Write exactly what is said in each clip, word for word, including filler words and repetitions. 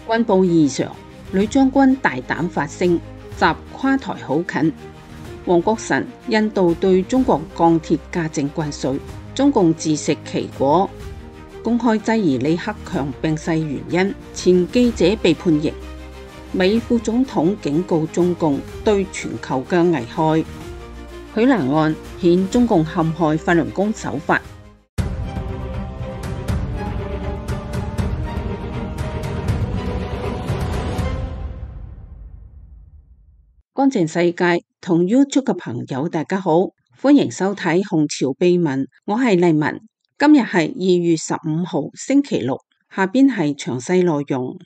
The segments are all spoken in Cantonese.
軍報異常，女將軍大膽發聲，習跨台好近。黃國臣印度對中國鋼鐵加徵關稅，中共自食其果，公開質疑李克強病逝原因，前記者被判刑。美副總統警告中共對全球嘅危害。許蘭案顯中共陷害法輪功手法。乾淨世界同 YouTube 嘅朋友大家好，歡迎收睇紅潮秘聞，我係麗文。今日係二月十五號星期六，下邊係詳細內容。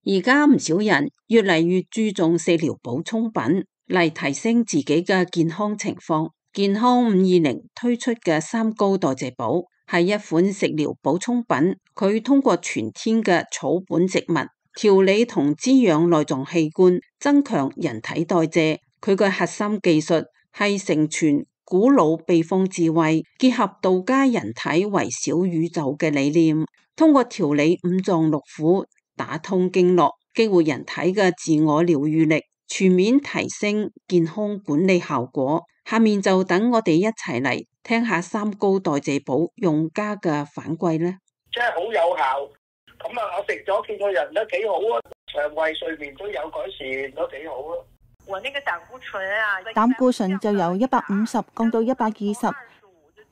而家唔少人越嚟越注重食療補充品嚟提升自己嘅健康情況。健康五二零推出嘅三高代謝寶係一款食療補充品，佢通過全天嘅草本植物調理同滋養內臟器官，增強人體代謝。佢嘅核心技術係承傳古老秘方智慧，結合道家人體為小宇宙嘅理念，通過調理五臟六腑，打通經絡，激活人體嘅自我療愈力，全面提升健康管理效果。下面就等我哋一齊嚟聽下三高代謝寶用家嘅反饋呢。真係好有效。咁啊，我食咗見個人都幾好啊，腸胃睡眠都有改善，都幾好啊。我那個膽固醇啊，膽固醇就由一百五十降到一百二十，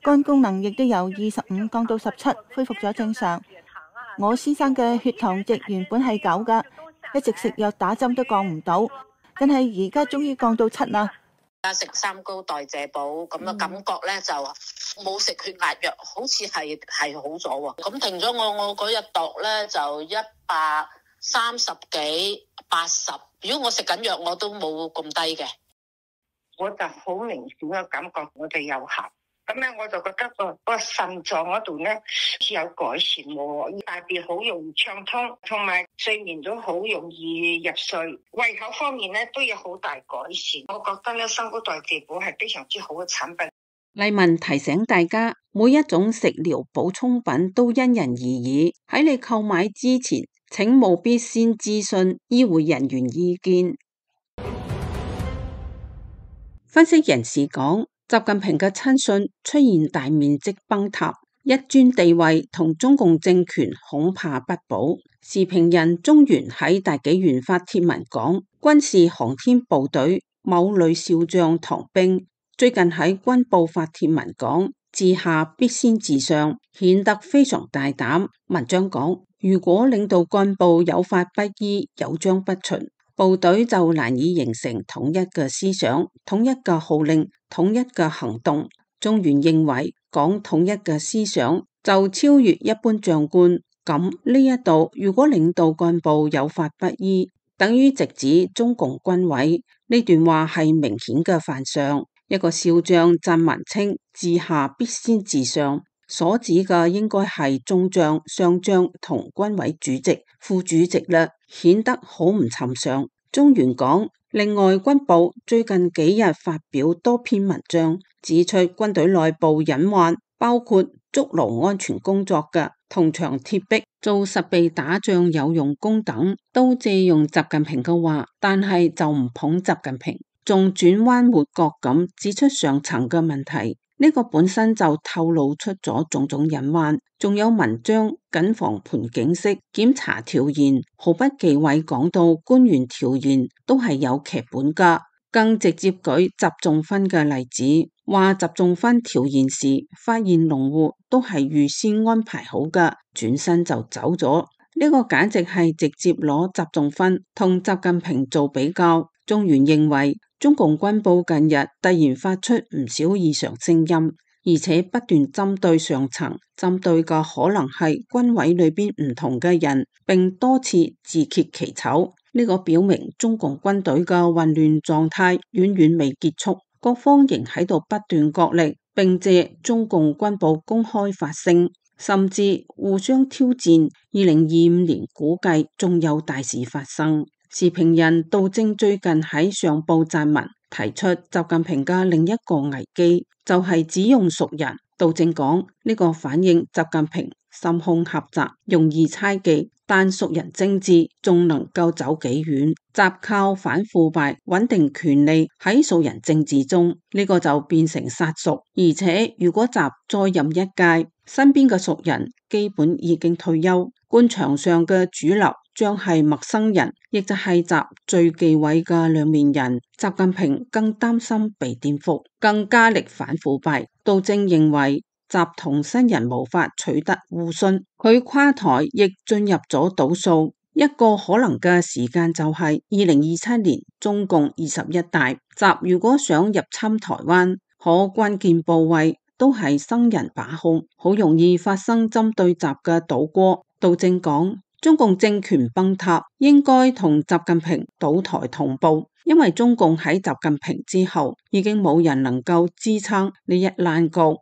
肝功能亦都由二十五降到十七，恢復咗正常。我先生嘅血糖值原本係九噶，一直食藥打針都降唔到，但係而家終於降到七啦。而家食三高代謝寶咁嘅感覺咧，就冇食血壓藥，好似係係好咗喎。咁停咗我，我嗰日度咧就一百三十幾八十。如果我食緊藥，我都冇咁低嘅。我就好明顯嘅感覺，我哋有效。咁咧，我就覺得個個腎臟嗰度咧有改善喎，大便好容易暢通，同埋睡眠都好容易入睡。胃口方面咧都有好大改善。我覺得咧，三高代謝寶係非常之好嘅產品。麗文提醒大家，每一種食療補充品都因人而異，喺你購買之前，請務必先諮詢醫護人員意見。分析人士講，習近平嘅親信出現大面積崩塌，一尊地位同中共政權恐怕不保。時評人中原喺大紀元發帖文講，軍事航天部隊某女少將唐冰最近喺軍報發帖文講，治下必先治上，顯得非常大膽。文章講，如果領導幹部有法不依，有章不循，部隊就難以形成統一嘅思想、統一嘅號令、統一嘅行動。中原認為講統一嘅思想就超越一般將官，咁呢一度如果領導幹部有法不依，等於直指中共軍委。呢段話係明顯嘅犯上。一個少將讚文稱治下必先治上，所指嘅應該係中將、上將同軍委主席、副主席啦，顯得好唔尋常。中原講，另外軍報最近幾日發表多篇文章，指出軍隊內部隱患，包括築牢安全工作嘅銅牆鐵壁、做實備打仗有用功等，都借用習近平嘅話，但係就唔捧習近平，仲轉彎抹角咁指出上層嘅問題。呢個本身就透露出咗種種隱患，仲有文章謹防盤警式檢查調研，毫不忌諱講到官員調研都係有劇本噶，更直接舉習仲勳嘅例子，話習仲勳調研時發現農戶都係預先安排好噶，轉身就走咗。呢個簡直係直接攞習仲勳同習近平做比較。中原認為，中共軍報近日突然發出唔少異常聲音，而且不斷針對上層，針對嘅可能係軍委裏邊唔同嘅人，並多次自揭其醜。呢個表明中共軍隊嘅混亂狀態遠遠未結束，各方仍喺度不斷角力，並借中共軍報公開發聲，甚至互相挑戰。二零二五年估計仲有大事發生。時評人杜正最近喺上報撰文，提出習近平嘅另一個危機，就係、是、只用熟人。杜正講，呢、這個反映習近平心胸狹窄，容易猜忌，但熟人政治仲能夠走幾遠？習靠反腐敗穩定權力喺熟人政治中，呢、這個就變成殺熟。而且如果習再任一屆，身邊嘅熟人基本已經退休，官場上嘅主流將係陌生人，亦就係習最忌諱嘅兩面人。習近平更擔心被顛覆，更加力反腐敗。杜正認為習同新人無法取得互信，佢垮台亦進入咗倒數。一個可能嘅時間就係二零二七年中共二十一大。習如果想入侵台灣，可關鍵部位都係新人把控，好容易發生針對習嘅倒戈。杜正講，中共政權崩塌應該同習近平倒台同步，因為中共喺習近平之後已經冇人能夠支撐呢一爛局。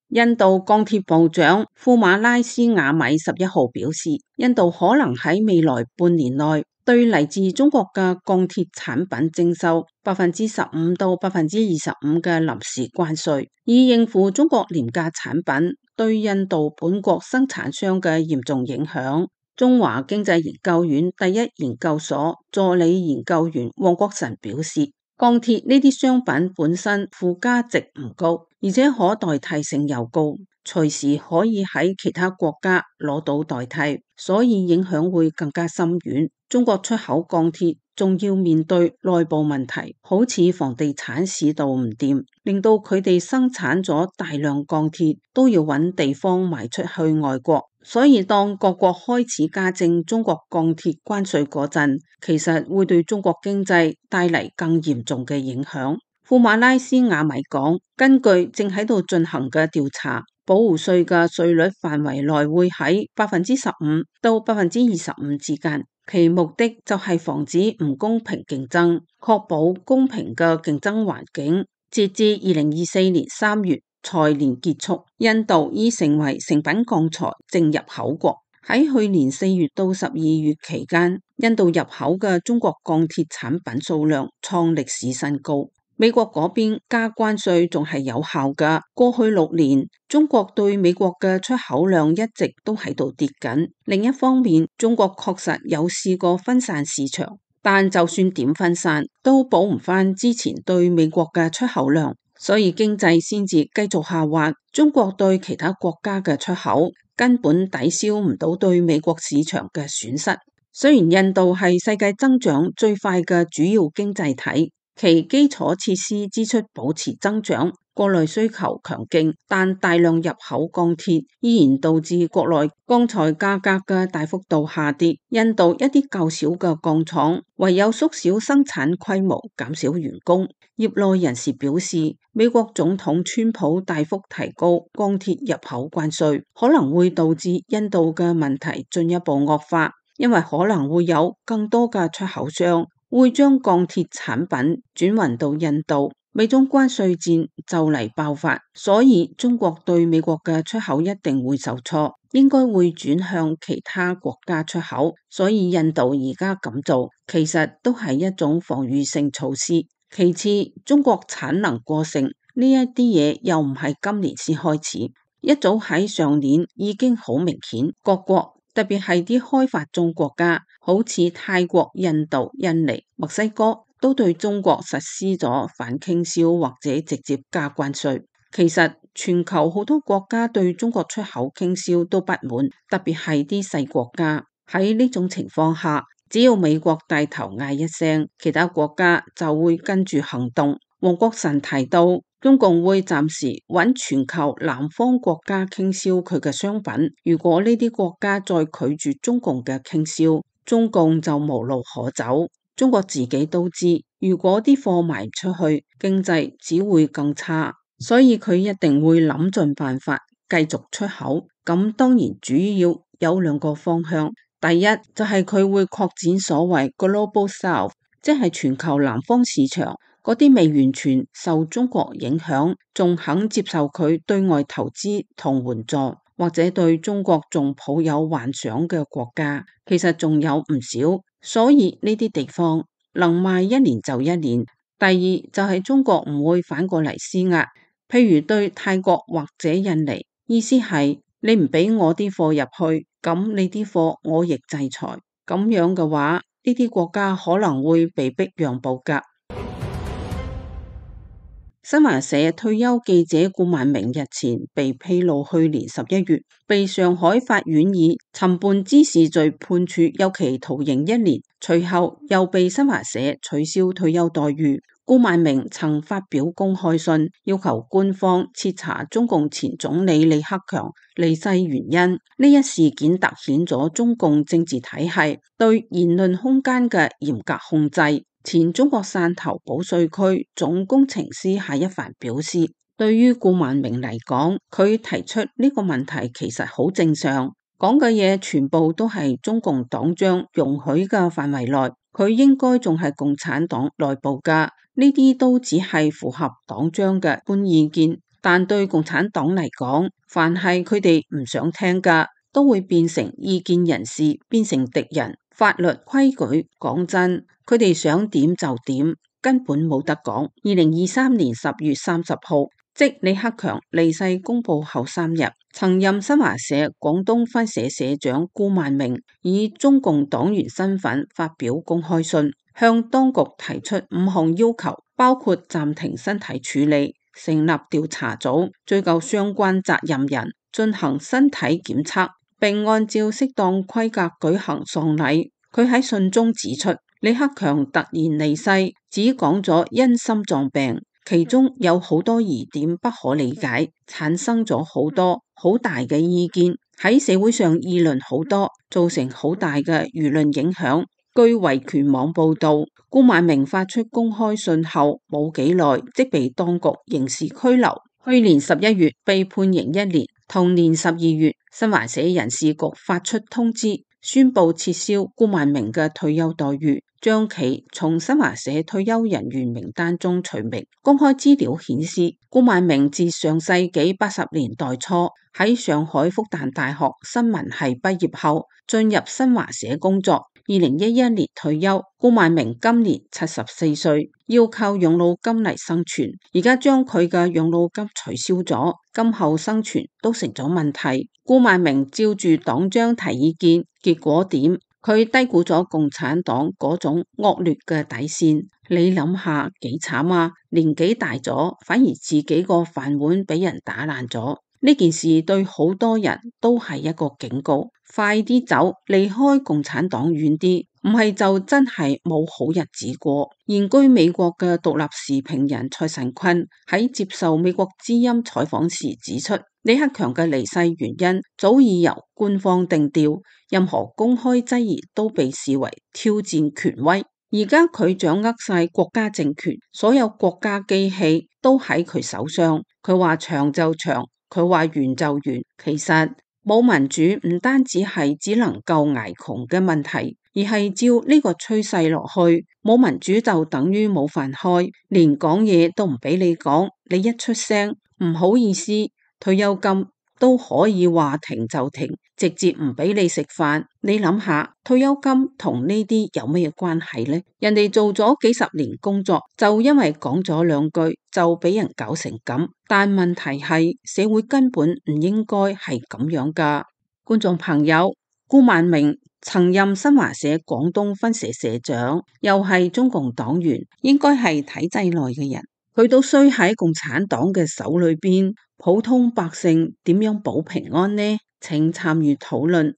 印度鋼鐵部長庫馬拉斯瓦米十一號表示，印度可能喺未來半年內對嚟自中國嘅鋼鐵產品徵收百分之十五到百分之二十五嘅臨時關稅，以應付中國廉價產品對印度本國生產商嘅嚴重影響。中華經濟研究院第一研究所助理研究員黃國臣表示，鋼鐵呢啲商品本身附加值唔高，而且可代替性又高，隨時可以喺其他國家攞到代替，所以影響會更加深遠。中國出口鋼鐵仲要面對內部問題，好似房地產市道唔掂，令到佢哋生產咗大量鋼鐵都要揾地方賣出去外國。所以當各國開始加徵中國鋼鐵關稅嗰陣，其實會對中國經濟帶嚟更嚴重嘅影響。庫馬拉斯瓦米講，根據正喺度進行嘅調查，保護稅嘅稅率範圍內會喺百分之十五到百分之二十五之間，其目的就係防止唔公平競爭，確保公平嘅競爭環境。截至二零二四年三月財年結束，印度已成為成品鋼材淨入口國。喺去年四月到十二月期間，印度入口嘅中國鋼鐵產品數量創歷史新高。美國嗰邊加關稅仲係有效㗎。過去六年，中國對美國嘅出口量一直都喺度跌緊。另一方面，中國確實有試過分散市場，但就算點分散，都補唔返之前對美國嘅出口量，所以經濟先至繼續下滑。中國對其他國家嘅出口根本抵消唔到對美國市場嘅損失。雖然印度係世界增長最快嘅主要經濟體，其基礎設施支出保持增長，國內需求強勁，但大量入口鋼鐵依然導致國內鋼材價格嘅大幅度下跌。印度一啲較小嘅鋼廠唯有縮小生產規模，減少員工。業內人士表示，美國總統川普大幅提高鋼鐵入口關稅，可能會導致印度嘅問題進一步惡化，因為可能會有更多嘅出口商會將鋼鐵產品轉運到印度，美中關稅戰就嚟爆發，所以中國對美國嘅出口一定會受挫，應該會轉向其他國家出口。所以印度而家咁做，其實都係一種防禦性措施。其次，中國產能過剩呢一啲嘢又唔係今年先開始，一早喺上年已經好明顯，各國特別係啲開發中國家，好似泰國、印度、印尼、墨西哥，都對中國實施咗反傾銷或者直接加關稅。其實全球好多國家對中國出口傾銷都不滿，特別係啲細國家。喺呢種情況下，只要美國帶頭嗌一聲，其他國家就會跟住行動。黃國臣提到，中共會暫時揾全球南方國家傾銷佢嘅商品，如果呢啲國家再拒絕中共嘅傾銷，中共就無路可走。中國自己都知，如果啲貨賣唔出去，經濟只會更差，所以佢一定會諗盡辦法繼續出口。咁當然主要有兩個方向，第一就係佢會擴展所謂 Global South， 即係全球南方市場，嗰啲未完全受中國影響，仲肯接受佢對外投資同援助，或者對中國仲抱有幻想嘅國家，其實仲有唔少。所以呢啲地方能賣一年就一年。第二就係中國唔會反過嚟施壓，譬如對泰國或者印尼，意思係你唔俾我啲貨入去，咁你啲貨我亦制裁。咁樣嘅話，呢啲國家可能會被逼讓步㗎。新華社退休記者顧萬明日前被披露，去年十一月被上海法院以尋釁滋事罪判處有期徒刑一年，隨後又被新華社取消退休待遇。顧萬明曾發表公開信，要求官方徹查中共前總理李克強離世原因。呢一事件凸顯咗中共政治體系對言論空間嘅嚴格控制。前中國汕頭保稅區總工程師夏一帆表示，對於顧萬明嚟講，佢提出呢個問題其實好正常，講嘅嘢全部都係中共黨章容許嘅範圍內，佢應該仲係共產黨內部㗎，呢啲都只係符合黨章嘅一般意見，但對共產黨嚟講，凡係佢哋唔想聽㗎，都會變成意見人士，變成敵人。法律規矩，講真，佢哋想點就點，根本冇得講。二零二三年十月三十號，即李克強離世公布後三日，曾任新華社廣東分社社長顧萬明以中共黨員身份發表公開信，向當局提出五項要求，包括暫停身體處理、成立調查組、追究相關責任人、進行身體檢測，並按照適當規格舉行喪禮。佢喺信中指出，李克強突然離世，只講咗因心臟病，其中有好多疑點不可理解，產生咗好多好大嘅意見，喺社會上議論好多，造成好大嘅輿論影響。據維權網報道，顧萬明發出公開信後冇幾耐，即被當局刑事拘留。去年十一月被判刑一年，同年十二月，新華社人事局發出通知，宣布撤銷顧萬明嘅退休待遇，將其從新華社退休人員名單中除名。公開資料顯示，顧萬明自上世紀八十年代初喺上海復旦大學新聞系畢業後，進入新華社工作。二零一一年退休，顧萬明今年七十四歲，要靠養老金嚟生存。而家將佢嘅養老金取消咗，今後生存都成咗問題。顧萬明照住黨章提意見，結果點？佢低估咗共產黨嗰種惡劣嘅底線。你諗下幾慘啊！年紀大咗，反而自己個飯碗俾人打爛咗。呢件事對好多人都係一個警告，快啲走，離開共產黨遠啲，唔係就真係冇好日子過。現居美國嘅獨立時評人蔡神坤喺接受美國之音採訪時指出，李克強嘅離世原因早已由官方定調，任何公開質疑都被視為挑戰權威。而家佢掌握晒國家政權，所有國家機器都喺佢手上，佢話長就長，佢話完就完。其實冇民主唔單止係只能夠挨窮嘅問題，而係照呢個趨勢落去，冇民主就等於冇飯開，連講嘢都唔俾你講，你一出聲唔好意思，退休金都可以話停就停，直接唔俾你食飯。你諗下，退休金同呢啲有咩關係呢？人哋做咗幾十年工作，就因為講咗兩句就俾人搞成咁。但問題係社會根本唔應該係咁樣噶。觀眾朋友，顧萬明曾任新華社廣東分社社長，又係中共黨員，應該係體制內嘅人，佢都衰喺共產黨嘅手裏邊。普通百姓點樣保平安呢？請參與討論。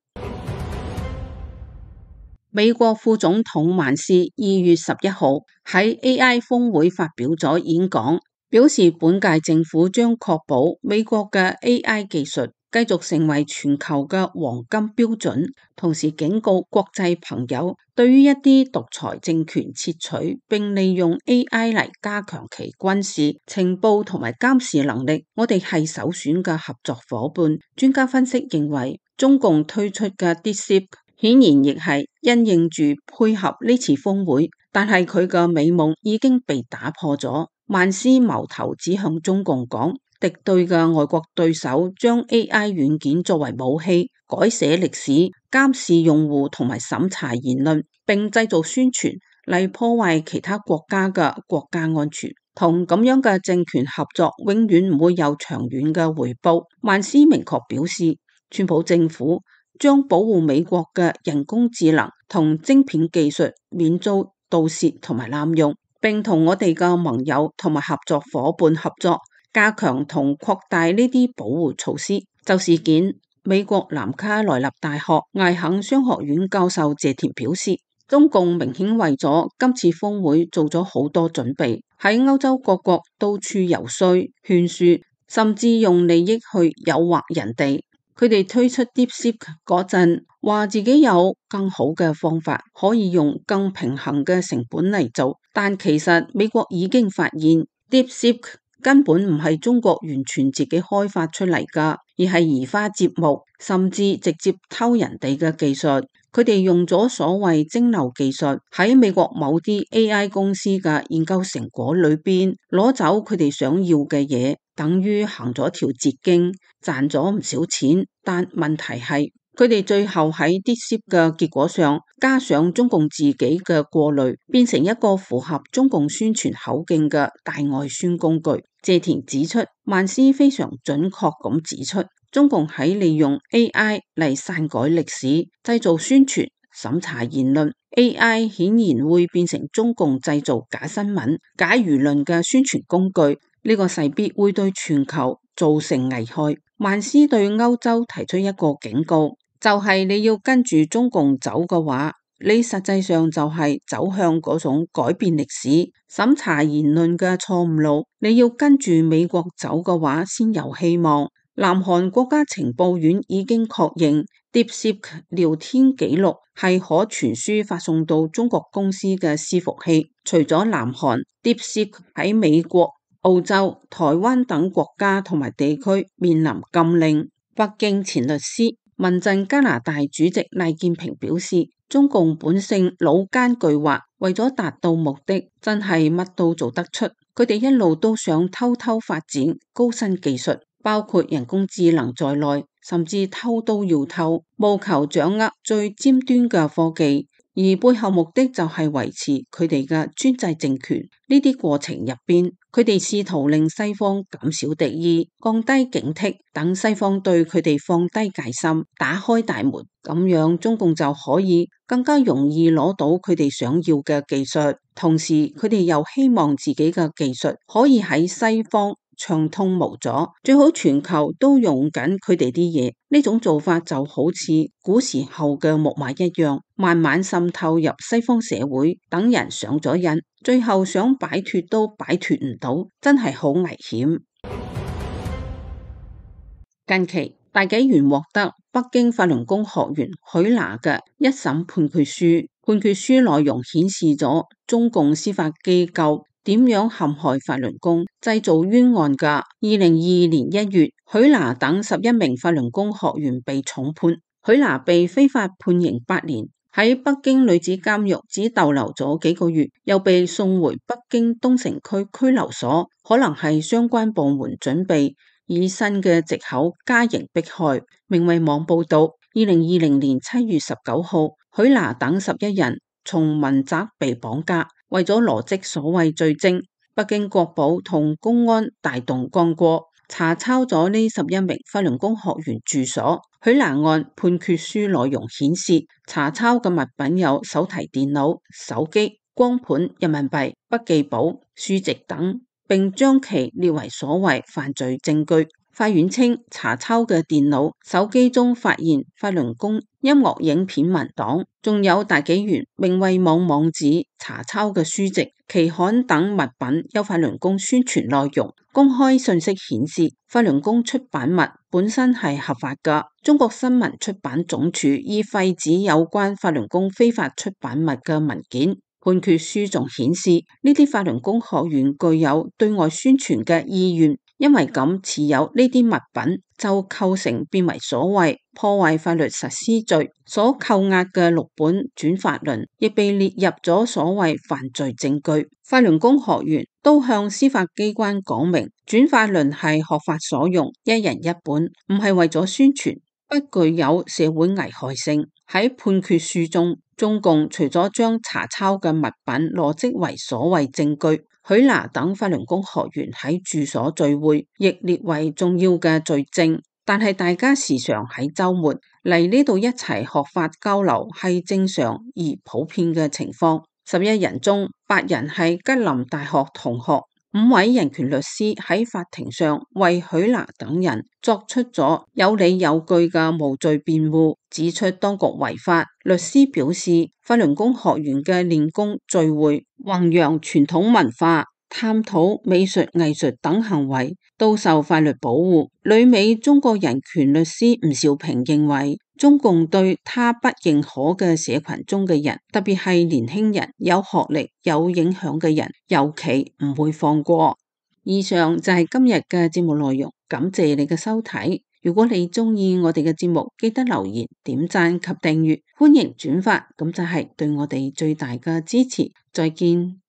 美國副總統萬斯二月十一號喺 A I 峰會發表咗演講，表示本屆政府將確保美國嘅 A I 技術繼續成為全球嘅黃金標準，同時警告國際朋友，對於一啲獨裁政權竊取並利用 A I 嚟加強其軍事情報同埋監視能力，我哋係首選嘅合作夥伴。專家分析認為，中共推出嘅 DeepSeek 顯然亦係因應住配合呢次峰會，但係佢嘅美夢已經被打破咗。萬斯矛頭指向中共講，敵對嘅外國對手將 A I 軟件作為武器，改寫歷史、監視用戶同埋審查言論，並製造宣傳嚟破壞其他國家嘅國家安全。同咁樣嘅政權合作，永遠唔會有長遠嘅回報。萬斯明確表示，川普政府將保護美國嘅人工智能同晶片技術免遭盜竊同埋濫用，並同我哋嘅盟友同埋合作夥伴合作，加強同擴大呢啲保護措施。就事件，美國南卡羅來納大學艾肯商學院教授謝田表示，中共明顯為咗今次峰會做咗好多準備，喺歐洲各國到處遊說、勸說，甚至用利益去誘惑人哋。佢哋推出 DeepSeek 嗰陣，話自己有更好嘅方法，可以用更平衡嘅成本嚟做，但其實美國已經發現 DeepSeek 根本唔係中國完全自己開發出嚟㗎，而係移花接木，甚至直接偷人哋嘅技術。佢哋用咗所謂蒸餾技術，喺美國某啲 A I 公司嘅研究成果裏邊攞走佢哋想要嘅嘢，等於行咗條捷徑，賺咗唔少錢。但問題係，佢哋最後喺 DeepSeek 嘅結果上加上中共自己嘅過濾，變成一個符合中共宣傳口徑嘅大外宣工具。謝田指出，曼斯非常準確咁指出，中共喺利用 A I 嚟篡改歷史、製造宣傳、審查言論。A I 顯然會變成中共製造假新聞、假輿論嘅宣傳工具，呢個勢必會對全球造成危害。曼斯對歐洲提出一個警告，就係你要跟住中共走嘅話，你實際上就係走向嗰種改變歷史、審查言論嘅錯誤路。你要跟住美國走嘅話，先有希望。南韓國家情報院已經確認 DeepSeek 聊天記錄係可傳輸發送到中國公司嘅伺服器。除咗南韓， DeepSeek 喺美國、澳洲、台灣等國家同埋地區面臨禁令。北京前律師、民陣加拿大主席賴建平表示，中共本性老奸巨猾，為咗達到目的，真係乜都做得出。佢哋一路都想偷偷發展高新技術，包括人工智能在內，甚至偷都要偷，務求掌握最尖端嘅科技，而背後目的就係維持佢哋嘅專制政權。呢啲過程入邊，佢哋試圖令西方減少敵意，降低警惕，等西方對佢哋放低戒心，打開大門，咁樣中共就可以更加容易攞到佢哋想要嘅技術。同時，佢哋又希望自己嘅技術可以喺西方暢通無阻，最好全球都用緊佢哋啲嘢。呢種做法就好似古時候嘅木馬一樣，慢慢滲透入西方社會，等人上咗癮，最後想擺脫都擺脫唔到，真係好危險。近期大紀元獲得北京法輪功學員許娜嘅一審判決書，判決書內容顯示咗中共司法機構點樣陷害法輪功，製造冤案㗎。二零二二年一月，許娜等十一名法輪功學員被重判，許娜被非法判刑八年，喺北京女子監獄只逗留咗幾個月，又被送回北京東城區拘留所，可能係相關部門準備以新嘅藉口加刑迫害。明慧網報道，二零二零年七月十九號，許娜等十一人從民宅被綁架，為咗羅織所謂罪證，北京國保同公安大動干戈，查抄咗呢十一名法輪功學員住所。許娜案判決書內容顯示，查抄嘅物品有手提電腦、手機、光盤、人民幣、筆記簿、書籍等，並將其列為所謂犯罪證據。法院稱，查抄嘅電腦、手機中發現法輪功音樂影片文檔，仲有大紀元明慧網網址查抄嘅書籍、期刊等物品有法輪功宣傳內容。公開信息顯示，法輪功出版物本身係合法㗎。中國新聞出版總署已廢止有關法輪功非法出版物嘅文件。判決書仲顯示，呢啲法輪功學員具有對外宣傳嘅意願，因為咁持有呢啲物品就構成變為所謂破壞法律實施罪。所扣押嘅六本轉法輪亦被列入咗所謂犯罪證據。法輪功學員都向司法機關講明，轉法輪係學法所用，一人一本，唔係為咗宣傳，不具有社會危害性。喺判決書中，中共除咗將查抄嘅物品羅織為所謂證據，許娜等法輪功學員喺住所聚會亦列為重要嘅罪證。但係大家時常喺週末嚟呢度一齊學法交流係正常而普遍嘅情況。十一人中八人係吉林大學同學。五位人權律師喺法庭上為許娜等人作出咗有理有據嘅無罪辯護，指出當局違法。律師表示，法輪功學員嘅練功聚會、弘揚傳統文化、探討美術藝術等行為都受法律保護。旅美中國人權律師吳兆平認為，中共對他不認可嘅社群中嘅人，特別係年輕人、有學歷、有影響嘅人，尤其唔會放過。以上就係今日嘅節目內容，感謝你嘅收睇。如果你中意我哋嘅節目，記得留言、點讚及訂閱，歡迎轉發，咁就係對我哋最大嘅支持。再見。